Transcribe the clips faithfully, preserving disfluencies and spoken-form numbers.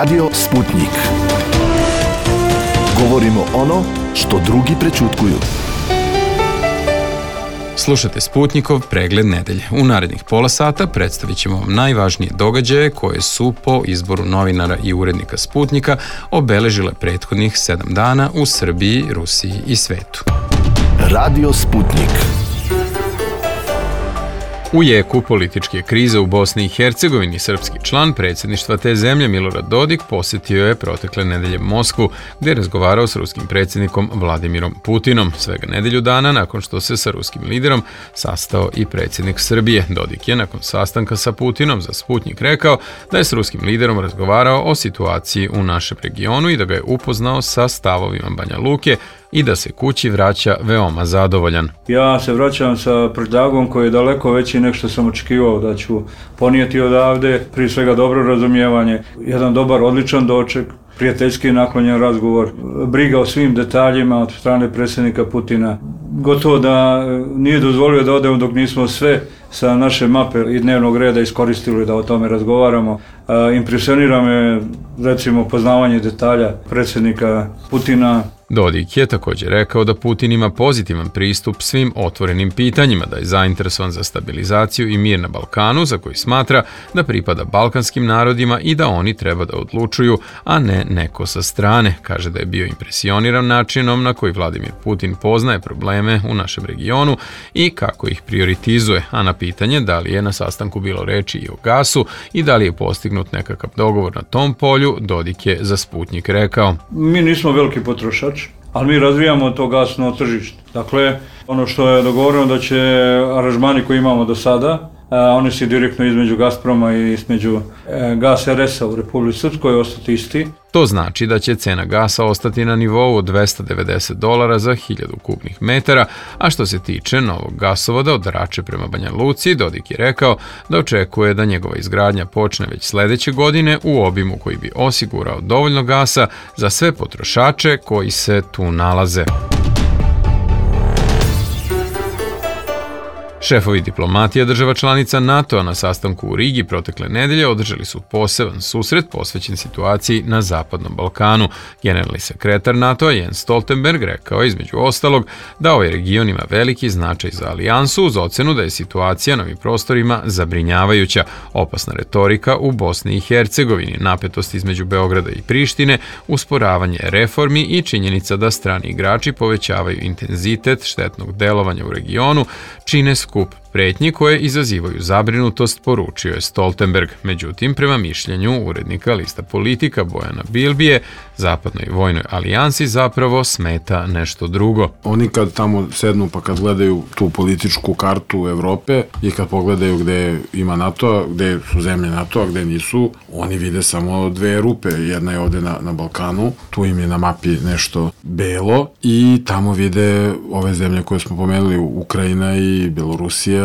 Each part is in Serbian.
Radio Sputnik. Govorimo ono što drugi prećutkuju. Slušate Sputnikov pregled nedelje. U narednih pola sata predstavit ćemo vam najvažnije događaje koje su po izboru novinara i urednika Sputnika obeležile prethodnih sedam dana u Srbiji, Rusiji i svetu. Radio Sputnik. U jeku političke krize u Bosni i Hercegovini srpski član predsjedništva te zemlje Milorad Dodik posjetio je protekle nedelje Moskvu, gdje je razgovarao s ruskim predsjednikom Vladimirom Putinom. Svega nedelju dana nakon što se sa ruskim liderom sastao i predsjednik Srbije. Dodik je nakon sastanka sa Putinom za Sputnik rekao da je s ruskim liderom razgovarao o situaciji u našem regionu i da ga je upoznao sa stavovima Banja Luke i da se kući vraća veoma zadovoljan. Ja se vraćam sa prtljagom koji je daleko veći nego što sam očekivao da ću ponijeti odavde. Prije svega dobro razumijevanje, jedan dobar, odličan doček, prijateljski naklonjen razgovor, briga o svim detaljima od strane predsjednika Putina. Gotovo da nije dozvolio da odemo dok nismo sve sa naše mape i dnevnog reda iskoristili da o tome razgovaramo. Impresionira me, recimo, poznavanje detalja predsjednika Putina. Dodik je također rekao da Putin ima pozitivan pristup svim otvorenim pitanjima, da je zainteresovan za stabilizaciju i mir na Balkanu, za koji smatra da pripada balkanskim narodima i da oni treba da odlučuju, a ne neko sa strane. Kaže da je bio impresioniran načinom na koji Vladimir Putin poznaje probleme u našem regionu i kako ih prioritizuje, a na pitanje da li je na sastanku bilo reči i o gasu i da li je postignut nekakav dogovor na tom polju, Dodik je za Sputnik rekao: Mi nismo veliki potrošač, ali mi razvijamo to gasno tržište. Dakle, ono što je dogovoreno da će aranžmani koji imamo do sada, a, oni su direktno između Gazproma i između e, Gas er es a u Republici Srpskoj ostati isti. To znači da će cena gasa ostati na nivou od dvesta devedeset dolara za hiljadu kubnih metara, a što se tiče novog gasovoda od Rače prema Banja Luci, Dodik je rekao da očekuje da njegova izgradnja počne već sledeće godine u obimu koji bi osigurao dovoljno gasa za sve potrošače koji se tu nalaze. Šefovi diplomatija država članica NATO-a na sastanku u Rigi protekle nedelje održali su poseban susret posvećen situaciji na Zapadnom Balkanu. Generalni sekretar NATO-a Jens Stoltenberg rekao je između ostalog da ovaj region ima veliki značaj za alijansu uz ocenu da je situacija na ovim prostorima zabrinjavajuća. Opasna retorika u Bosni i Hercegovini, napetost između Beograda i Prištine, usporavanje reformi i činjenica da strani igrači povećavaju intenzitet štetnog delovanja u regionu čine skup pretnji koje izazivaju zabrinutost, poručio je Stoltenberg. Međutim, prema mišljenju urednika lista Politika Bojana Bilbije, Zapadnoj vojnoj alijansi zapravo smeta nešto drugo. Oni kad tamo sednu pa kad gledaju tu političku kartu Evrope i kad pogledaju gde ima NATO, gde su zemlje NATO, gde nisu, oni vide samo dve rupe. Jedna je ovde na, na Balkanu, tu im je na mapi nešto belo i tamo vide ove zemlje koje smo pomenuli, Ukrajina i Belorusija,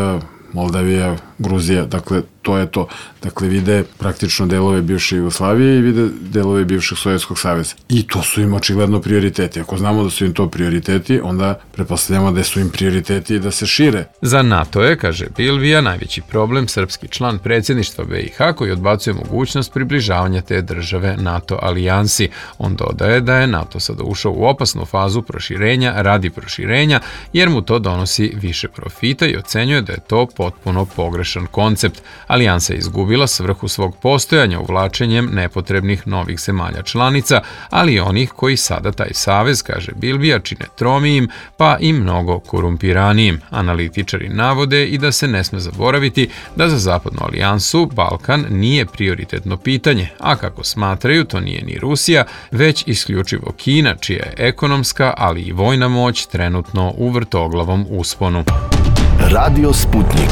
Moldavija, Gruzija, dakle to je to. Dakle, vide praktično delove bivše Jugoslavije i vide delove bivšeg Sovjetskog saveza. I to su im očigledno prioriteti. Ako znamo da su im to prioriteti, onda pretpostavljamo da su im prioriteti da se šire. Za NATO je, kaže Bilbija, najveći problem srpski član predsjedništva be i ha koji odbacuje mogućnost približavanja te države NATO alijansi. On dodaje da je NATO sada ušao u opasnu fazu proširenja radi proširenja, jer mu to donosi više profita i ocenjuje da je to potpuno pogrešan koncept. Alijansa je izgubila svrhu svog postojanja uvlačenjem nepotrebnih novih zemalja članica, ali i onih koji sada taj savez, kaže Bilbija, čine tromijim pa i mnogo korumpiranijim. Analitičari navode i da se ne sme zaboraviti da za Zapadnu alijansu Balkan nije prioritetno pitanje, a kako smatraju to nije ni Rusija, već isključivo Kina, čija je ekonomska, ali i vojna moć trenutno u vrtoglavom usponu. Radio Sputnik.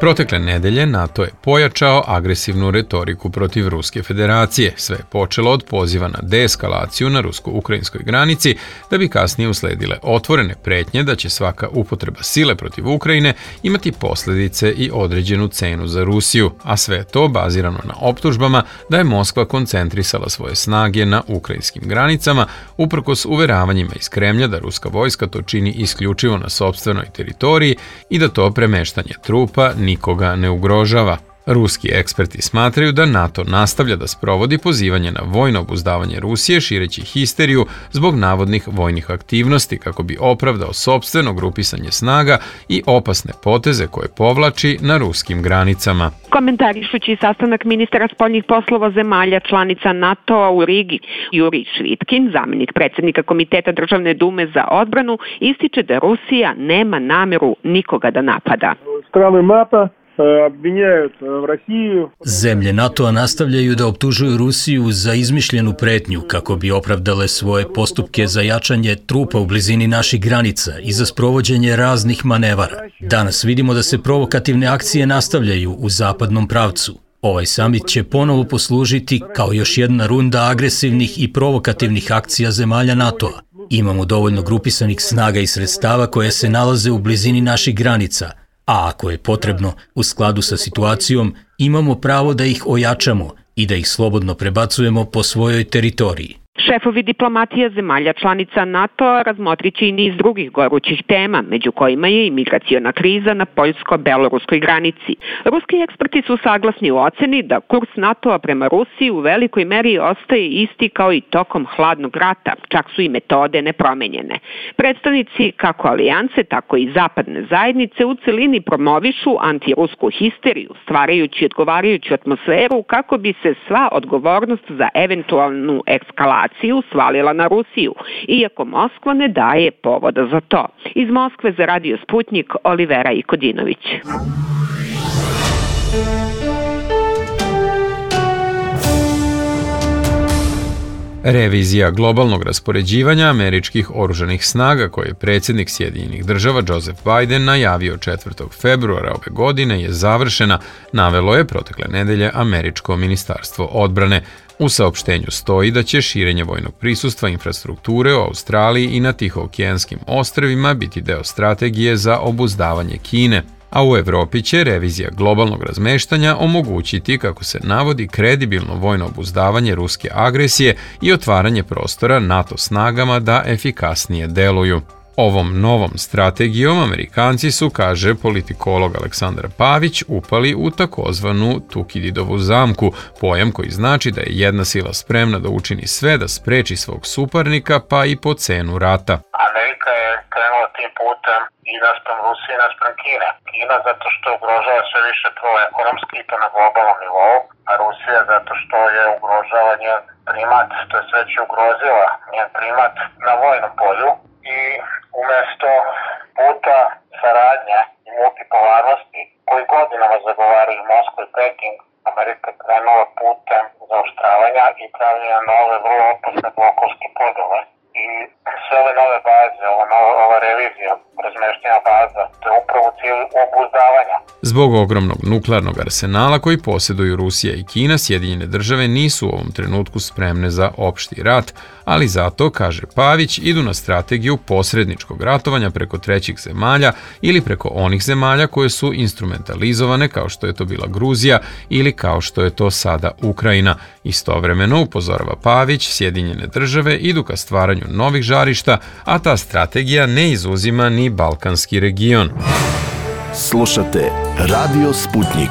Protekle nedelje NATO je pojačao agresivnu retoriku protiv Ruske federacije. Sve je počelo od poziva na deeskalaciju na rusko-ukrajinskoj granici, da bi kasnije usledile otvorene pretnje da će svaka upotreba sile protiv Ukrajine imati posljedice i određenu cenu za Rusiju, a sve to bazirano na optužbama da je Moskva koncentrisala svoje snage na ukrajinskim granicama, uprkos uveravanjima iz Kremlja da ruska vojska to čini isključivo na sopstvenoj teritoriji i da to premeštanje trupa nikoga ne ugrožava. Ruski eksperti smatraju da NATO nastavlja da sprovodi pozivanje na vojno obuzdavanje Rusije šireći histeriju zbog navodnih vojnih aktivnosti kako bi opravdao sopstveno grupisanje snaga i opasne poteze koje povlači na ruskim granicama. Komentarišući sastanak ministara spoljnih poslova zemalja članica NATO-a u Rigi, Jurij Švitkin, zamenik predsjednika Komiteta Državne dume za odbranu, ističe da Rusija nema nameru nikoga da napada. Strane NATO обвиняют в Россию. Zemlje NATO-a nastavljaju da optužuju Rusiju za izmišljenu pretnju kako bi opravdale svoje postupke za jačanje trupa u blizini naših granica i za sprovođenje raznih manevara. Danas vidimo da se provokativne akcije nastavljaju u zapadnom pravcu. Ovaj samit će ponovo poslužiti kao još jedna runda agresivnih i provokativnih akcija zemalja NATO-a. Imamo dovoljno grupisanih snaga i sredstava koje se nalaze u blizini naših granica, a ako je potrebno, u skladu sa situacijom, imamo pravo da ih ojačamo i da ih slobodno prebacujemo po svojoj teritoriji. Šefovi diplomatija zemalja članica NATO-a razmotrit će i niz drugih gorućih tema, među kojima je i migraciona kriza na poljsko-beloruskoj granici. Ruski eksperti su saglasni u oceni da kurs NATO-a prema Rusiji u velikoj meri ostaje isti kao i tokom hladnog rata, čak su i metode nepromenjene. Predstavnici kako alijanse, tako i zapadne zajednice u celini promovišu antirusku histeriju, stvarajući odgovarajuću atmosferu kako bi se sva odgovornost za eventualnu eskalaciju svalila na Rusiju, iako Moskva ne daje povoda za to. Iz Moskve za Radio Sputnik, Olivera Ikodinović. Revizija globalnog raspoređivanja američkih oružanih snaga koje je predsjednik Sjedinjenih država Joseph Biden najavio četvrtog februara ove godine je završena, navelo je protekle nedelje američko ministarstvo odbrane. U saopštenju stoji da će širenje vojnog prisustva infrastrukture u Australiji i na Tihookeanskim ostrvima biti deo strategije za obuzdavanje Kine, a u Evropi će revizija globalnog razmeštanja omogućiti, kako se navodi, kredibilno vojno obuzdavanje ruske agresije i otvaranje prostora NATO snagama da efikasnije deluju. Ovom novom strategijom Amerikanci su, kaže politikolog Aleksandar Pavić, upali u takozvanu Tukididovu zamku, pojam koji znači da je jedna sila spremna da učini sve da spreči svog suparnika, pa i po cenu rata. Amerika je krenula tim putem i naspram Rusije i naspram Kine. Kina zato što ugrožava sve više to ekonomski i to na globalnom nivou, a Rusija zato što je ugrožava njen primat, to je sve će ugrozila njen primat na vojnom polju. I umjesto puta saradnje i multipolarnosti koji godinama zagovaraju Moskva i Peking, Amerika je krenula putem zaoštravanja i pravljenja nove vrlo opasne blokovske podele. I sve ove nove baze, ova, nova, ova revizija razmeštenja baza, to je upravo cilj obuzdavanja. Zbog ogromnog nuklearnog arsenala koji posjeduju Rusija i Kina, Sjedinjene države nisu u ovom trenutku spremne za opšti rat, ali zato, kaže Pavić, idu na strategiju posredničkog ratovanja preko trećih zemalja ili preko onih zemalja koje su instrumentalizovane, kao što je to bila Gruzija ili kao što je to sada Ukrajina. Istovremeno, upozorava Pavić, Sjedinjene države idu ka stvaranju novih žarišta, a ta strategija ne izuzima ni balkanski region. Slušate Radio Sputnik.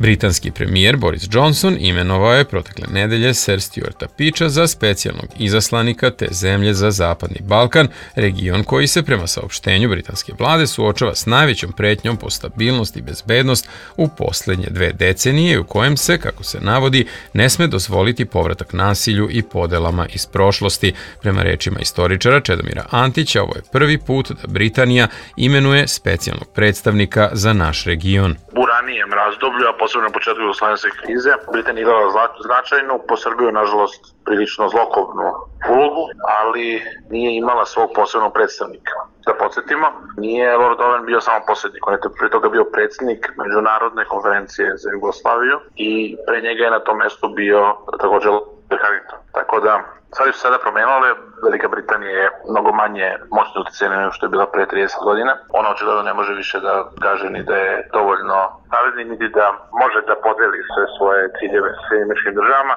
Britanski premijer Boris Johnson imenovao je protekle nedelje Sir Stuarta Peacha za specijalnog izaslanika te zemlje za Zapadni Balkan, region koji se prema saopštenju britanske vlade suočava s najvećom pretnjom po stabilnost i bezbednost u posljednje dve decenije, u kojem se, kako se navodi, ne sme dozvoliti povratak nasilju i podelama iz prošlosti. Prema rečima istoričara Čedomira Antića, ovo je prvi put da Britanija imenuje specijalnog predstavnika za naš region. U ranijem razdoblju, a posebno na početku jugoslovenske krize, Britanija igrala značajnu, po Srbiju, nažalost, prilično zlokobnu ulogu, ali nije imala svog posebnog predstavnika. Da podsjetimo, nije Lord Owen bio samo posrednik, on je pre toga bio predsjednik Međunarodne konferencije za Jugoslaviju i pre njega je na tom mestu bio također Lord Harrington. Tako da Stvari su sada promenile, Velika Britanija je mnogo manje moćno utjecajna nego što je bila pre trideset godina. Ona očigledno ne može više da kaže ni da je dovoljno savezni, niti da može da podeli sve svoje ciljeve sa Sjedinjenim Američkim Državama.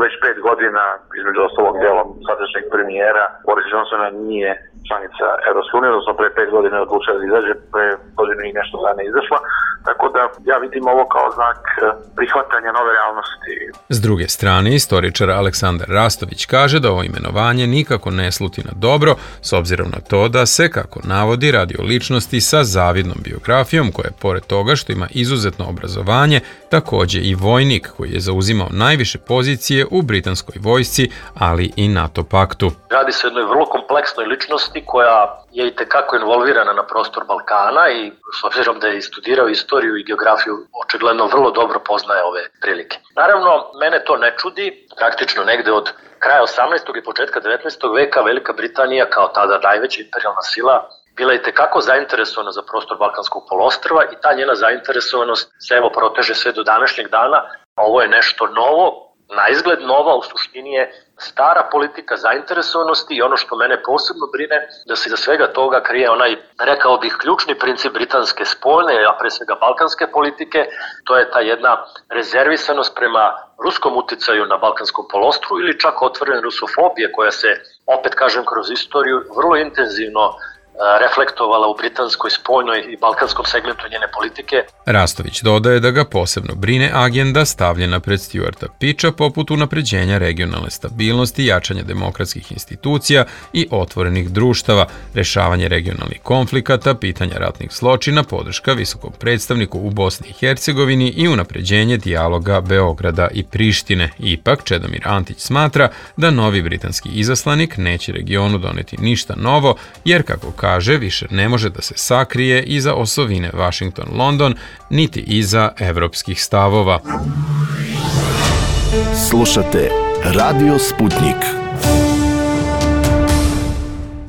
Već pet godina, između ostalog djelom sadašnjeg premijera, Boris Johnsona nije članica Evropske unije, odnosno pre pet godina je odlučila da izađe, pre godinu i nešto dana izašla. Tako da ja vidim ovo kao znak prihvatanja nove realnosti. S druge strane, istoričar Aleksandar Rastović kaže da ovo imenovanje nikako ne sluti na dobro, s obzirom na to da se, kako navodi, radi o ličnosti sa zavidnom biografijom, koja je, pored toga što ima izuzetno obrazovanje, takođe i vojnik koji je zauzimao najviše pozicije u britanskoj vojsci, ali i NATO paktu. Radi se o jednoj vrlo kompleksnoj ličnosti koja je i tekako involvirana na prostor Balkana i s obzirom da je studirao istoriju i geografiju, očigledno vrlo dobro poznaje ove prilike. Naravno, mene to ne čudi, praktično negde od kraja osamnaestog i početka devetnaestog veka Velika Britanija kao tada najveća imperijalna sila bila je tekako zainteresovana za prostor Balkanskog poluostrva i ta njena zainteresovanost se evo proteže sve do današnjeg dana. Ovo je nešto novo, na izgled nova, u suštini je stara politika zainteresovanosti i ono što mene posebno brine da se iza svega toga krije onaj, rekao bih, ključni princip britanske spoljne, a pre svega balkanske politike, to je ta jedna rezervisanost prema ruskom uticaju na Balkanskom polostru ili čak otvorene rusofobije koja se, opet kažem, kroz istoriju vrlo intenzivno reflektovala u britanskoj spoljnoj i balkanskom segmentu njene politike. Rastović dodaje da ga posebno brine agenda stavljena pred Stuarta Pitcha poput unapređenja regionalne stabilnosti, jačanja demokratskih institucija i otvorenih društava, rešavanje regionalnih konflikata, pitanja ratnih zločina, podrška visokom predstavniku u Bosni i Hercegovini i unapređenje dijaloga Beograda i Prištine. Ipak, Čedomir Antić smatra da novi britanski izaslanik neće regionu doneti ništa novo, jer, kako kaže, više ne može da se sakrije iza osovine Washington-London, niti iza evropskih stavova. Slušate Radio Sputnik.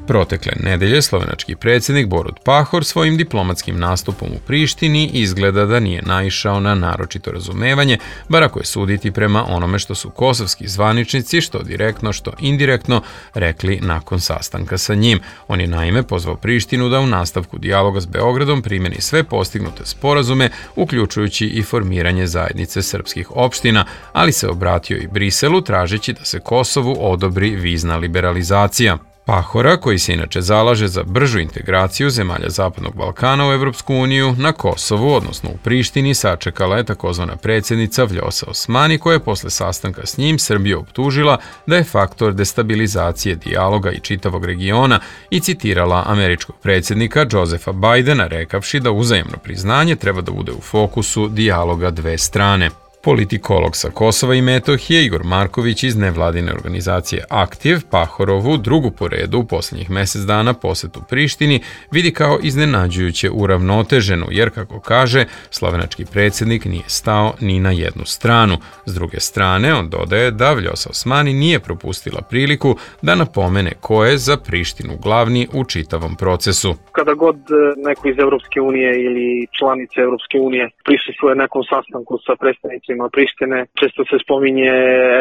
Protekle nedelje slovenački predsjednik Borut Pahor svojim diplomatskim nastupom u Prištini izgleda da nije naišao na naročito razumevanje, bar ako je suditi prema onome što su kosovski zvaničnici, što direktno, što indirektno, rekli nakon sastanka sa njim. On je naime pozvao Prištinu da u nastavku dijaloga s Beogradom primjeni sve postignute sporazume, uključujući i formiranje zajednice srpskih opština, ali se obratio i Briselu tražeći da se Kosovu odobri vizna liberalizacija. Pahora, koji se inače zalaže za bržu integraciju zemalja Zapadnog Balkana u Evropsku uniju, na Kosovu, odnosno u Prištini, sačekala je takozvana predsjednica Vljosa Osmani, koja je posle sastanka s njim Srbiju optužila da je faktor destabilizacije dijaloga i čitavog regiona i citirala američkog predsjednika Josefa Bidena rekavši da uzajamno priznanje treba da bude u fokusu dijaloga dve strane. Politikolog sa Kosova i Metohije Igor Marković iz nevladine organizacije Aktiv Pahorovu, drugu po redu u posljednjih mjesec dana posetu Prištini, vidi kao iznenađujuće uravnoteženu, jer, kako kaže, slovenački predsjednik nije stao ni na jednu stranu. S druge strane, on dodaje da Vljosa Osmani nije propustila priliku da napomene ko je za Prištinu glavni u čitavom procesu. Kada god neko iz Evropske unije ili članice Evropske unije prisustvuje nekom sastanku sa predstavnicima Prištine, često se spominje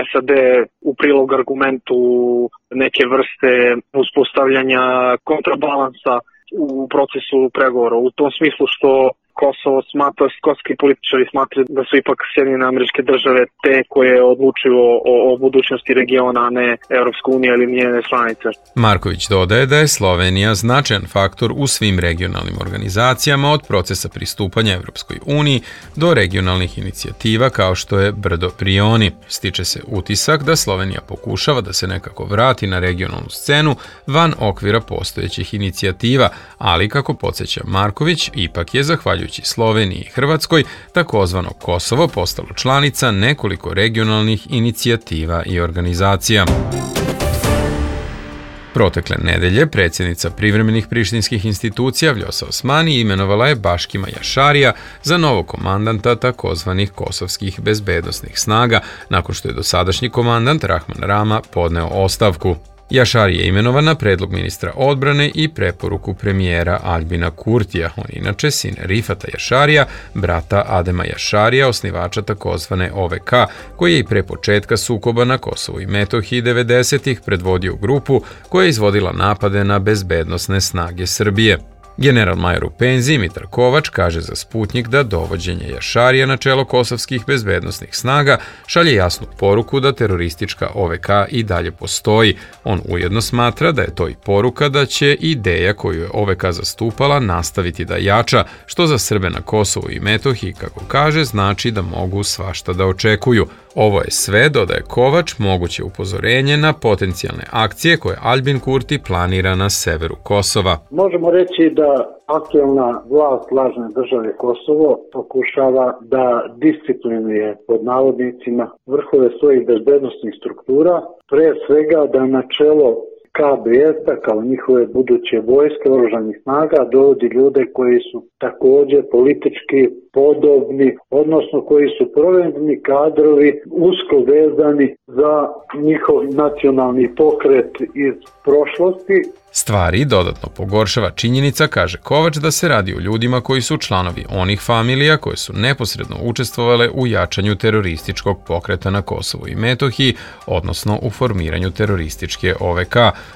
S A D u prilog argumentu neke vrste uspostavljanja kontrabalansa u procesu pregovora. U tom smislu što Kosovo smatra, kosovski političari smatraju da su ipak Sjedinjene Američke Države te koje odlučuju o, o budućnosti regiona, a ne Evropska unija ili njene članice. Marković dodaje da je Slovenija značajan faktor u svim regionalnim organizacijama, od procesa pristupanja Evropskoj uniji do regionalnih inicijativa kao što je Brdo Prioni. Stiče se utisak da Slovenija pokušava da se nekako vrati na regionalnu scenu van okvira postojećih inicijativa, ali, kako podsjeća Marković, ipak je zahvaljujući Sloveniji i Hrvatskoj takozvano Kosovo postalo članica nekoliko regionalnih inicijativa i organizacija. Protekle nedelje predsjednica privremenih prištinskih institucija Vljosa Osmani imenovala je Baškima Jašarija za novog komandanta takozvanih kosovskih bezbednosnih snaga, nakon što je dosadašnji komandant Rahman Rama podneo ostavku. Jašari je imenovan na predlog ministra odbrane i preporuku premijera Albina Kurtija. On je inače sin Rifata Jašarija, brata Adema Jašarija, osnivača takozvane O V K, koji je i pre početka sukoba na Kosovu i Metohiji devedesetih predvodio grupu koja je izvodila napade na bezbednosne snage Srbije. General major u penziji Mitar Kovač kaže za Sputnjik da dovođenje Jašarija na čelo kosovskih bezbednosnih snaga šalje jasnu poruku da teroristička O V K i dalje postoji. On ujedno smatra da je to i poruka da će ideja koju je O V K zastupala nastaviti da jača, što za Srbe na Kosovu i Metohiji, kako kaže, znači da mogu svašta da očekuju. Ovo je sve, dodaje Kovač, moguće upozorenje na potencijalne akcije koje Albin Kurti planira na severu Kosova. Možemo reći da aktuelna vlast lažne države Kosovo pokušava da disciplinuje pod navodnicima vrhove svojih bezbednosnih struktura, pre svega da na čelo K B S-a kao njihove buduće vojske oružanih snaga dovodi ljude koji su također politički podobni, odnosno koji su provedeni kadrovi usko vezani za njihov nacionalni pokret iz prošlosti. Stvari dodatno pogoršava činjenica, kaže Kovač, da se radi o ljudima koji su članovi onih familija koje su neposredno učestvovale u jačanju terorističkog pokreta na Kosovu i Metohiji, odnosno u formiranju terorističke O V K.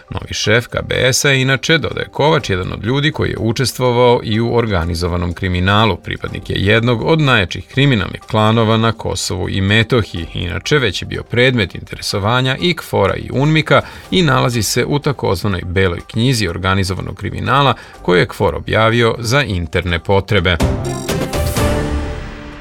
Novi šef K B S-a je inače, dodaje Kovač, jedan od ljudi koji je učestvovao i u organizovanom kriminalu. Pripadnik je jednog od najjačih kriminalnih klanova na Kosovu i Metohiji. Inače, već je bio predmet interesovanja i K F O R-a i UNMIK-a i nalazi se u takozvanoj beloj knjizi organizovanog kriminala koju je K F O R objavio za interne potrebe.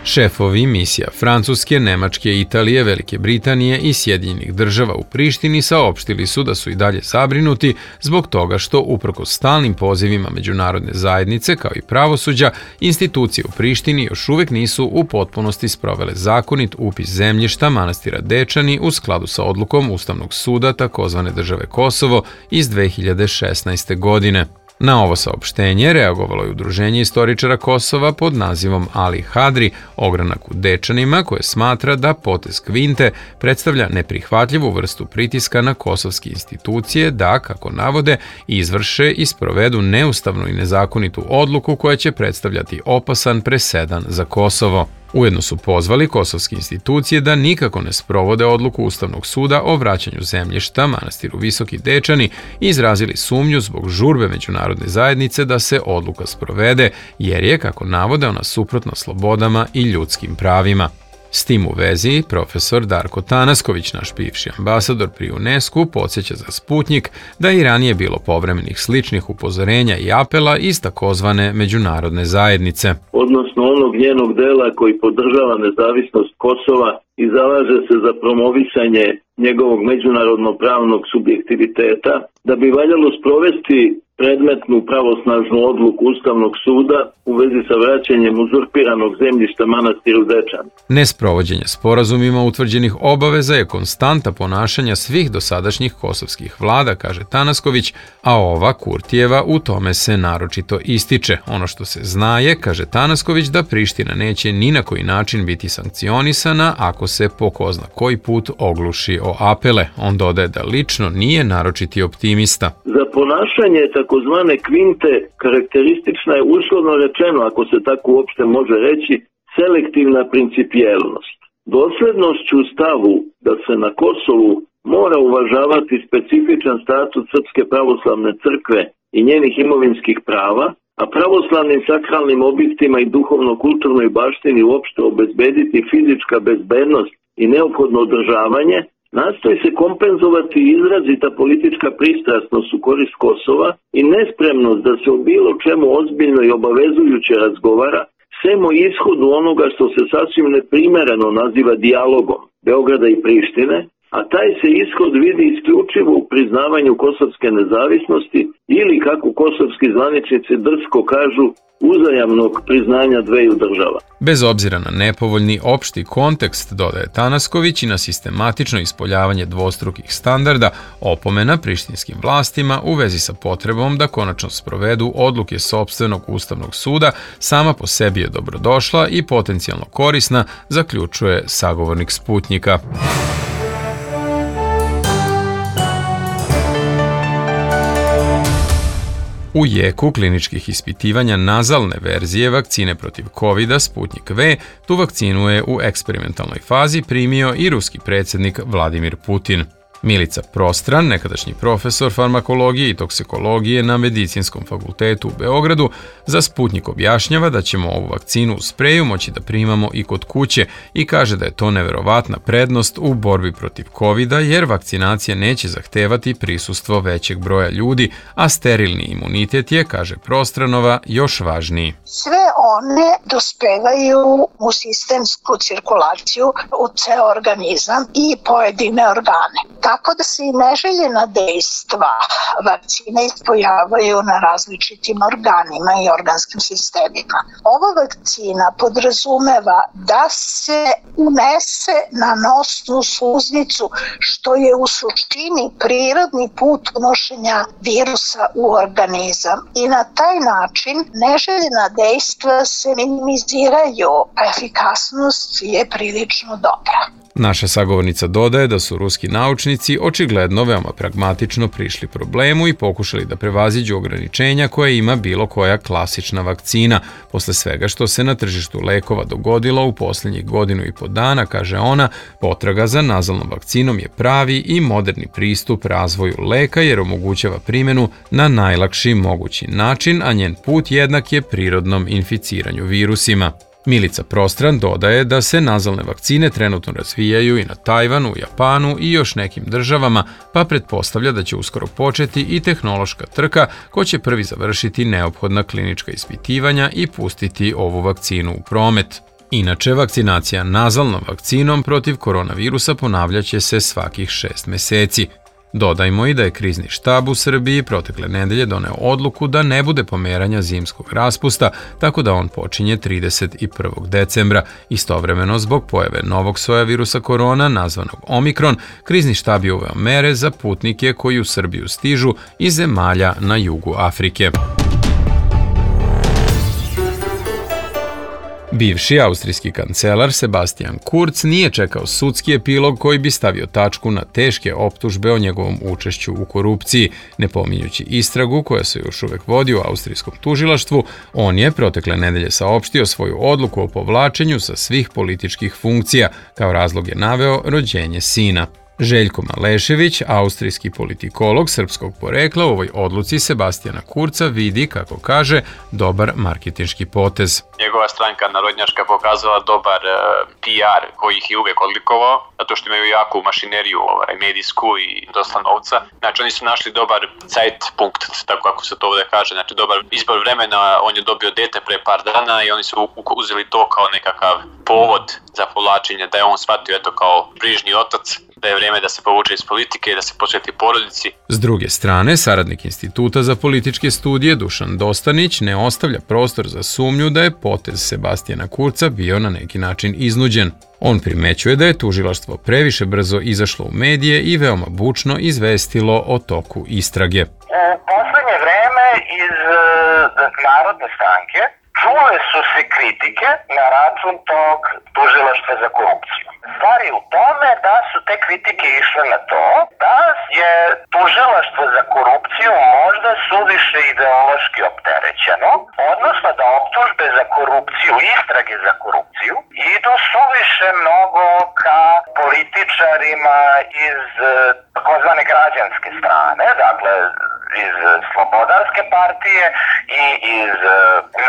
Šefovi misija Francuske, Nemačke, Italije, Velike Britanije i Sjedinjenih država u Prištini saopštili su da su i dalje zabrinuti zbog toga što, uprkos stalnim pozivima međunarodne zajednice kao i pravosuđa, institucije u Prištini još uvijek nisu u potpunosti sprovele zakonit upis zemljišta manastira Dečani u skladu sa odlukom Ustavnog suda takozvane države Kosovo iz dve hiljade šesnaeste. godine. Na ovo saopštenje reagovalo je Udruženje istoričara Kosova pod nazivom Ali Hadri, ogranak u Dečanima, koje smatra da potez Kvinte predstavlja neprihvatljivu vrstu pritiska na kosovske institucije da, kako navode, izvrše i sprovedu neustavnu i nezakonitu odluku koja će predstavljati opasan presedan za Kosovo. Ujedno su pozvali kosovske institucije da nikako ne sprovode odluku Ustavnog suda o vraćanju zemljišta manastiru Visoki Dečani i izrazili sumnju zbog žurbe međunarodne zajednice da se odluka sprovede, jer je, kako navode, ona suprotna slobodama i ljudskim pravima. S tim u vezi, profesor Darko Tanasković, naš bivši ambasador pri UNESCO, podsjeća za Sputnjik da je i ranije bilo povremenih sličnih upozorenja i apela iz takozvane međunarodne zajednice. Odnosno onog njenog dela koji podržava nezavisnost Kosova i zalaže se za promovisanje njegovog međunarodno-pravnog subjektiviteta, da bi valjalo sprovesti predmetnu pravosnažnu odluku Ustavnog suda u vezi sa vraćanjem uzurpiranog zemljišta manastiru Dečan. Nesprovođenje sporazumima utvrđenih obaveza je konstanta ponašanja svih dosadašnjih kosovskih vlada, kaže Tanasković, a ova Kurtijeva u tome se naročito ističe. Ono što se zna je, kaže Tanasković, da Priština neće ni na koji način biti sankcionisana ako se po ko zna koji put ogluši o apele. On dodaje da lično nije naročiti optimista. Za ponašanje takozvane Kvinte karakteristična je, uslovno rečeno, ako se tako uopšte može reći, selektivna principijelnost. Doslednošću u stavu da se na Kosovu mora uvažavati specifičan statut Srpske pravoslavne crkve i njenih imovinskih prava, a pravoslavnim sakralnim objektima i duhovno-kulturnoj baštini uopšte obezbediti fizička bezbednost i neophodno održavanje, nastoji se kompenzovati izrazita politička pristrasnost u korist Kosova i nespremnost da se o bilo čemu ozbiljno i obavezujuće razgovara, sem o ishodu onoga što se sasvim neprimereno naziva dijalogom Beograda i Prištine, a taj se ishod vidi isključivo u priznavanju kosovske nezavisnosti ili, kako kosovski zvaničnici drsko kažu, uzajamnog priznanja dveju država. Bez obzira na nepovoljni opšti kontekst, dodaje Tanasković, i na sistematično ispoljavanje dvostrukih standarda, opomena prištinskim vlastima u vezi sa potrebom da konačno sprovedu odluke sopstvenog Ustavnog suda sama po sebi je dobrodošla i potencijalno korisna, zaključuje sagovornik Sputnjika. U jeku kliničkih ispitivanja nazalne verzije vakcine protiv kovida Sputnik V, tu vakcinu je u eksperimentalnoj fazi primio i ruski predsjednik Vladimir Putin. Milica Prostran, nekadašnji profesor farmakologije i toksikologije na Medicinskom fakultetu u Beogradu, za Sputnik objašnjava da ćemo ovu vakcinu u spreju moći da primamo i kod kuće i kaže da je to neverovatna prednost u borbi protiv kovida jer vakcinacija neće zahtevati prisustvo većeg broja ljudi, a sterilni imunitet je, kaže Prostranova, još važniji. Sve one dospevaju u sistemsku cirkulaciju u ceo organizam i pojedine organe. Tako da se i neželjena dejstva vakcine ispojavaju na različitim organima i organskim sistemima. Ova vakcina podrazumeva da se unese na nosnu sluznicu, što je u suštini prirodni put unošenja virusa u organizam. I na taj način neželjena dejstva se minimiziraju, a efikasnost je prilično dobra. Naša sagovornica dodaje da su ruski naučnici očigledno veoma pragmatično prišli problemu i pokušali da prevaziđu ograničenja koje ima bilo koja klasična vakcina. Posle svega što se na tržištu lekova dogodilo u posljednjih godinu i po dana, kaže ona, potraga za nazalnom vakcinom je pravi i moderni pristup razvoju leka jer omogućava primjenu na najlakši mogući način, a njen put jednak je prirodnom inficiranju virusima. Milica Prostran dodaje da se nazalne vakcine trenutno razvijaju i na Tajvanu, Japanu i još nekim državama, pa pretpostavlja da će uskoro početi i tehnološka trka ko će prvi završiti neophodna klinička ispitivanja i pustiti ovu vakcinu u promet. Inače, vakcinacija nazalnom vakcinom protiv koronavirusa ponavljaće se svakih šest meseci. Dodajmo i da je krizni štab u Srbiji protekle nedelje doneo odluku da ne bude pomeranja zimskog raspusta, tako da on počinje trideset prvog decembra. Istovremeno, zbog pojave novog soja virusa korona, nazvanog Omikron, krizni štab je uveo mere za putnike koji u Srbiju stižu iz zemalja na jugu Afrike. Bivši austrijski kancelar Sebastian Kurz nije čekao sudski epilog koji bi stavio tačku na teške optužbe o njegovom učešću u korupciji. Ne pominjući istragu koja se još uvek vodi u austrijskom tužilaštvu, on je protekle nedelje saopštio svoju odluku o povlačenju sa svih političkih funkcija. Kao razlog je naveo rođenje sina. Željko Malešević, austrijski politikolog srpskog porekla, u ovoj odluci Sebastijana Kurca vidi, kako kaže, dobar marketinški potez. Njegova stranka narodnjačka pokazala dobar uh, P R koji ih je uvek odlikovao, zato što imaju jaku mašineriju ovaj, medijsku i dosta novca. Znači oni su našli dobar Zeitpunkt, tako kako se to ovdje kaže, znači dobar izbor vremena, on je dobio dete pre par dana i oni su uzeli to kao nekakav povod za povlačenje, da je on shvatio eto kao brižni otac, da je vrijeme da se povuče iz politike i da se posveti porodici. S druge strane, saradnik Instituta za političke studije Dušan Dostanić ne ostavlja prostor za sumnju da je potez Sebastijana Kurca bio na neki način iznuđen. On primećuje da je tužilaštvo previše brzo izašlo u medije i veoma bučno izvestilo o toku istrage. U poslednje vreme iz Narodne stranke čule su se kritike na račun tog tužilaštva za korupciju. Stvar je u tome da su te kritike išle na to da je tužilaštvo za korupciju možda suviše ideološki opterećeno, odnosno da optužbe za korupciju, istrage za korupciju, idu suviše mnogo ka političarima iz takozvane građanske strane, dakle iz Slobodarske partije i iz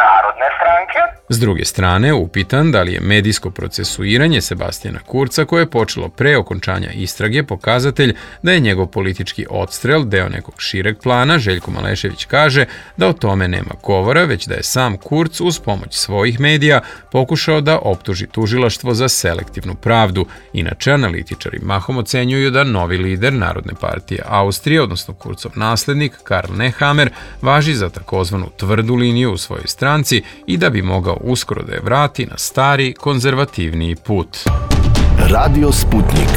Narodne stranke. S druge strane, upitan da li je medijsko procesuiranje Sebastijana Kurca, koje je počelo pre okončanja istrage, pokazatelj da je njegov politički odstrel deo nekog šireg plana, Željko Malešević kaže da o tome nema govora, već da je sam Kurz uz pomoć svojih medija pokušao da optuži tužilaštvo za selektivnu pravdu. Inače, analitičari mahom ocenjuju da novi lider Narodne partije Austrije, odnosno Kurzov naslednik Karl Nehammer, važi za takozvanu tvrdu liniju u svojoj stranci i da bi mogao uskoro da je vrati na stari, konzervativniji put. Radio Sputnik.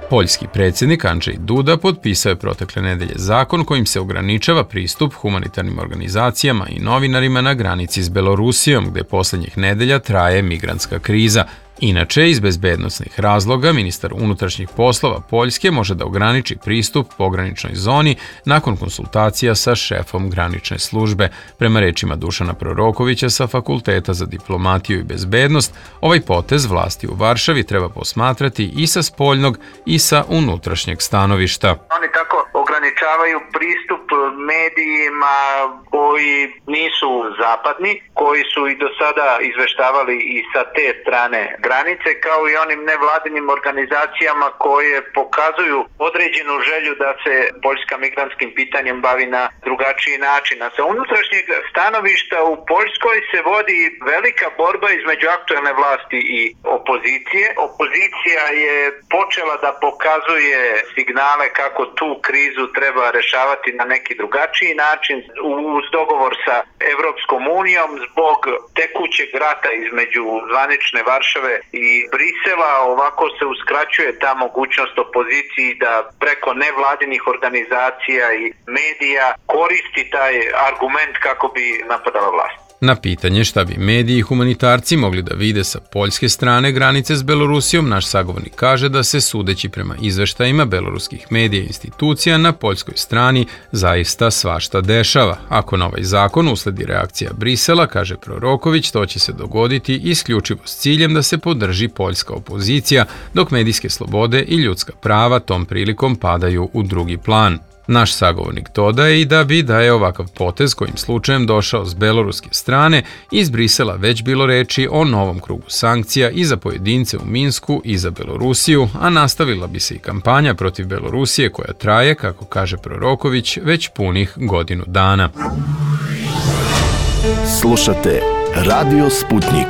Poljski predsjednik Andrzej Duda potpisao je protekle nedelje zakon kojim se ograničava pristup humanitarnim organizacijama i novinarima na granici s Belorusijom, gde posljednjih nedelja traje migrantska kriza. Inače, iz bezbednosnih razloga, ministar unutrašnjih poslova Poljske može da ograniči pristup pograničnoj zoni nakon konsultacija sa šefom granične službe. Prema rečima Dušana Prorokovića sa Fakulteta za diplomatiju i bezbednost, ovaj potez vlasti u Varšavi treba posmatrati i sa spoljnog i sa unutrašnjeg stanovišta. Oni tako ograničavaju pristup medijima koji nisu zapadni, koji su i do sada izveštavali i sa te strane granice, kao i onim nevladinim organizacijama koje pokazuju određenu želju da se Poljska migrantskim pitanjem bavi na drugačiji način. A sa unutrašnjeg stanovišta u Poljskoj se vodi velika borba između aktuelne vlasti i opozicije. Opozicija je počela da pokazuje signale kako tu krizu treba rešavati na neki drugačiji način uz dogovor sa Evropskom unijom zbog tekućeg rata između zvanične Varšave i Brisela. Ovako se uskraćuje ta mogućnost opoziciji da preko nevladinih organizacija i medija koristi taj argument kako bi napadala vlast. Na pitanje šta bi mediji i humanitarci mogli da vide sa poljske strane granice s Belorusijom, naš sagovornik kaže da se, sudeći prema izveštajima beloruskih medija i institucija, na poljskoj strani zaista svašta dešava. Ako na ovaj zakon usledi reakcija Brisela, kaže Proroković, to će se dogoditi isključivo s ciljem da se podrži poljska opozicija, dok medijske slobode i ljudska prava tom prilikom padaju u drugi plan. Naš sagovornik dodaje i da bi da je ovakav potez kojim slučajem došao s beloruske strane, iz Brisela već bilo reči o novom krugu sankcija i za pojedince u Minsku i za Belorusiju, a nastavila bi se i kampanja protiv Belorusije koja traje, kako kaže Proroković, već punih godinu dana. Slušate Radio Sputnik.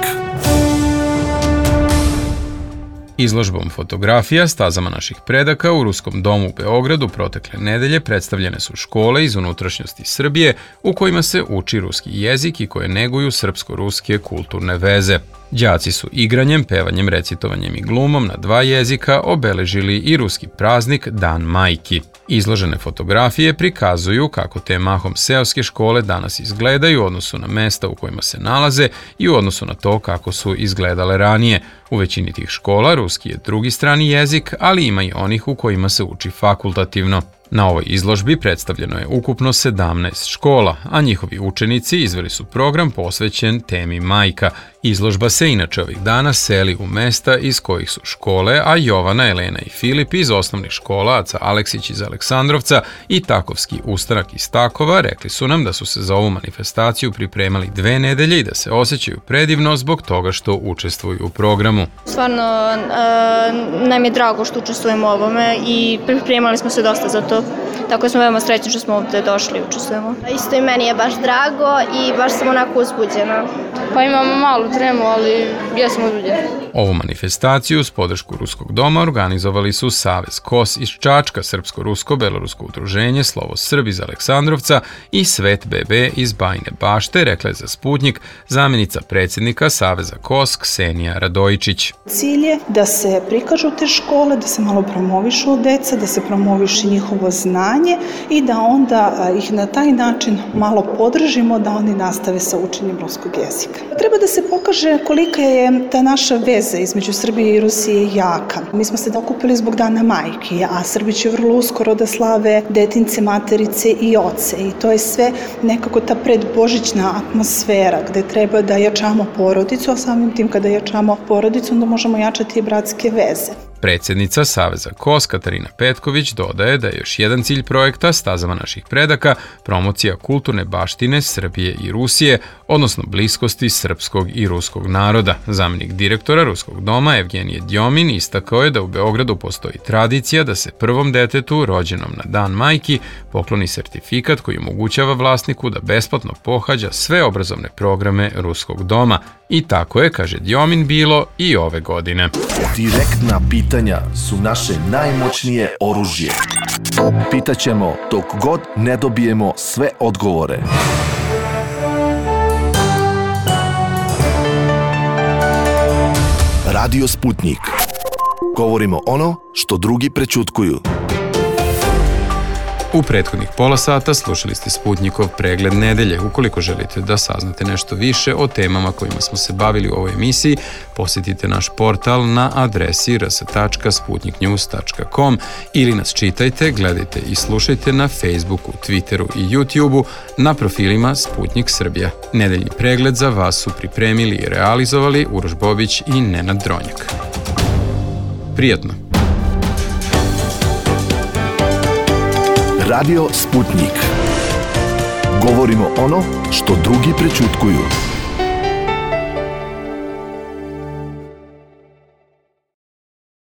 Izložbom fotografija stazama naših predaka u Ruskom domu u Beogradu protekle nedelje predstavljene su škole iz unutrašnjosti Srbije u kojima se uči ruski jezik i koje neguju srpsko-ruske kulturne veze. Đaci su igranjem, pevanjem, recitovanjem i glumom na dva jezika obeležili i ruski praznik Dan majki. Izložene fotografije prikazuju kako te mahom seoske škole danas izgledaju u odnosu na mesta u kojima se nalaze i u odnosu na to kako su izgledale ranije. U većini tih škola ruski je drugi strani jezik, ali ima i onih u kojima se uči fakultativno. Na ovoj izložbi predstavljeno je ukupno sedamnaest škola, a njihovi učenici izveli su program posvećen temi majka. Izložba se inače ovih dana seli u mesta iz kojih su škole, a Jovana, Elena i Filip iz osnovnih škola Aca Aleksić iz Aleksandrovca i Takovski ustanak iz Takova rekli su nam da su se za ovu manifestaciju pripremali dve nedelje i da se osjećaju predivno zbog toga što učestvuju u programu. Stvarno nam je drago što učestvujemo u ovome i pripremali smo se dosta za to. Tako smo veoma srećni što smo ovdje došli i učestvujemo. Isto i meni je baš drago i baš sam onako uzbuđena. Pa imamo malu tremu, ali jesmo uzbuđeni. Ovu manifestaciju s podršku Ruskog doma organizovali su Savez K O S iz Čačka, Srpsko-Rusko-Belorusko udruženje, Slovo Srb iz Aleksandrovca i Svet B B iz Bajine Bašte, rekla je za Sputnik zamjenica predsjednika Saveza K O S Ksenija Radojičić. Cilj je da se prikažu te škole, da se malo promovišu deca, da se promoviše njihovo znanje i da onda ih na taj način malo podržimo da oni nastave sa učenjem ruskog jezika. Treba da se pokaže kolika je ta naša veza između Srbije i Rusije jaka. Mi smo se okupili zbog Dana majki, a Srbi će vrlo uskoro da slave detince, materice i oce. I to je sve nekako ta predbožićna atmosfera gde treba da jačamo porodicu, a samim tim kada jačamo porodicu onda možemo jačati i bratske veze. Predsjednica Saveza K O S Katarina Petković dodaje da je još jedan cilj projekta Stazama naših predaka promocija kulturne baštine Srbije i Rusije, odnosno bliskosti srpskog i ruskog naroda. Zamjenik direktora Ruskog doma Evgenije Djomin istakao je da u Beogradu postoji tradicija da se prvom detetu rođenom na Dan majki pokloni sertifikat koji omogućava vlasniku da besplatno pohađa sve obrazovne programe Ruskog doma. I tako je, kaže Djomin, bilo i ove godine. Direktna pitanja su naše najmoćnije oružje. Pitaćemo dok god ne dobijemo sve odgovore. Radio Sputnik. Govorimo ono što drugi prećutkuju. U prethodnih pola sata slušali ste Sputnikov pregled nedelje. Ukoliko želite da saznate nešto više o temama kojima smo se bavili u ovoj emisiji, posjetite naš portal na adresi r s tačka sputnik news tačka com ili nas čitajte, gledajte i slušajte na Facebooku, Twitteru i YouTubeu na profilima Sputnik Srbija. Nedeljni pregled za vas su pripremili i realizovali Uroš Bobić i Nenad Dronjak. Prijatno! Radio Sputnik. Govorimo ono što drugi prećutkuju.